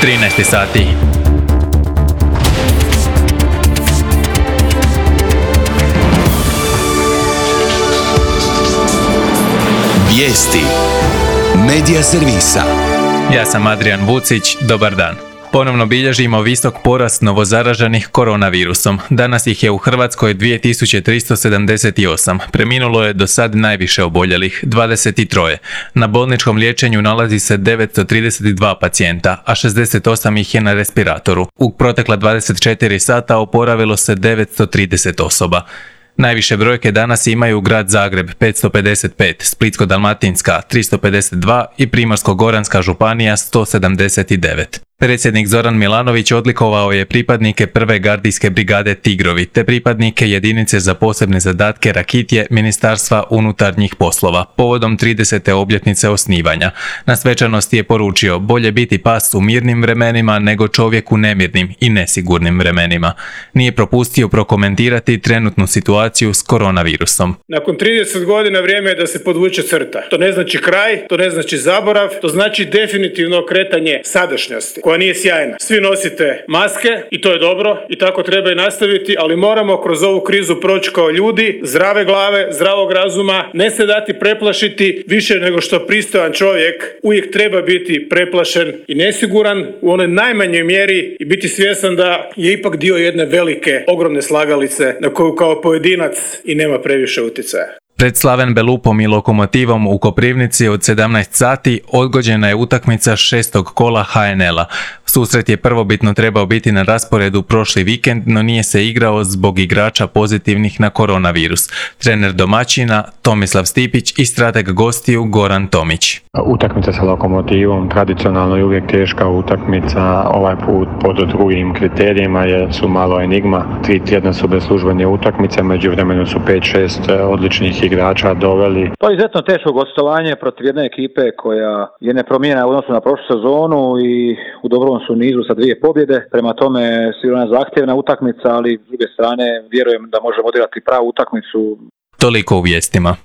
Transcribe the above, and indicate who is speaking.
Speaker 1: 13 sati.
Speaker 2: Vijesti Medija servisa.
Speaker 1: Ja sam Adrian Vucić, dobar dan. Ponovno bilježimo visok porast novozaraženih koronavirusom. Danas ih je u Hrvatskoj 2378. Preminulo je do sad najviše oboljelih, 23. Na bolničkom liječenju nalazi se 932 pacijenta, a 68 ih je na respiratoru. U protekla 24 sata oporavilo se 930 osoba. Najviše brojke danas imaju grad Zagreb 555, Splitsko-dalmatinska 352 i Primorsko-goranska županija 179. Predsjednik Zoran Milanović odlikovao je pripadnike prve gardijske brigade Tigrovi te pripadnike jedinice za posebne zadatke Rakitje Ministarstva unutarnjih poslova povodom 30. obljetnice osnivanja. Na svečanosti je poručio: bolje biti pas u mirnim vremenima nego čovjek u nemirnim i nesigurnim vremenima. Nije propustio prokomentirati trenutnu situaciju s koronavirusom.
Speaker 3: Nakon 30 godina vrijeme je da se podvuče crta. To ne znači kraj, to ne znači zaborav, to znači definitivno kretanje sadašnjosti, koja nije sjajna. Svi nosite maske i to je dobro i tako treba i nastaviti, ali moramo kroz ovu krizu proći kao ljudi, zdrave glave, zdravog razuma, ne se dati preplašiti više nego što pristojan čovjek uvijek treba biti preplašen i nesiguran u onoj najmanjoj mjeri i biti svjestan da je ipak dio jedne velike, ogromne slagalice na koju kao pojedinac i nema previše utjecaja.
Speaker 1: Pred Slaven Belupom i Lokomotivom u Koprivnici od 17 sati odgođena je utakmica 6. kola HNL-a. Susret je prvobitno trebao biti na rasporedu prošli vikend, no nije se igrao zbog igrača pozitivnih na koronavirus. Trener domaćina Tomislav Stipić i strateg gostiju Goran Tomić.
Speaker 4: Utakmica sa Lokomotivom tradicionalno je uvijek teška utakmica, ovaj put pod drugim kriterijima su malo enigma. 3 tjedna su bez službene utakmice, međuvremenu su 5-6 odličnih igrača doveli.
Speaker 5: To je izuzetno teško gostovanje protiv jedne ekipe koja je nepromijenjena u odnosu na prošlu sezonu i u dobrom su nizu sa 2 pobjede. Prema tome sigurno zahtjevna utakmica, ali s druge strane vjerujem da možemo odigrati pravu utakmicu.
Speaker 1: Toliko u vijestima.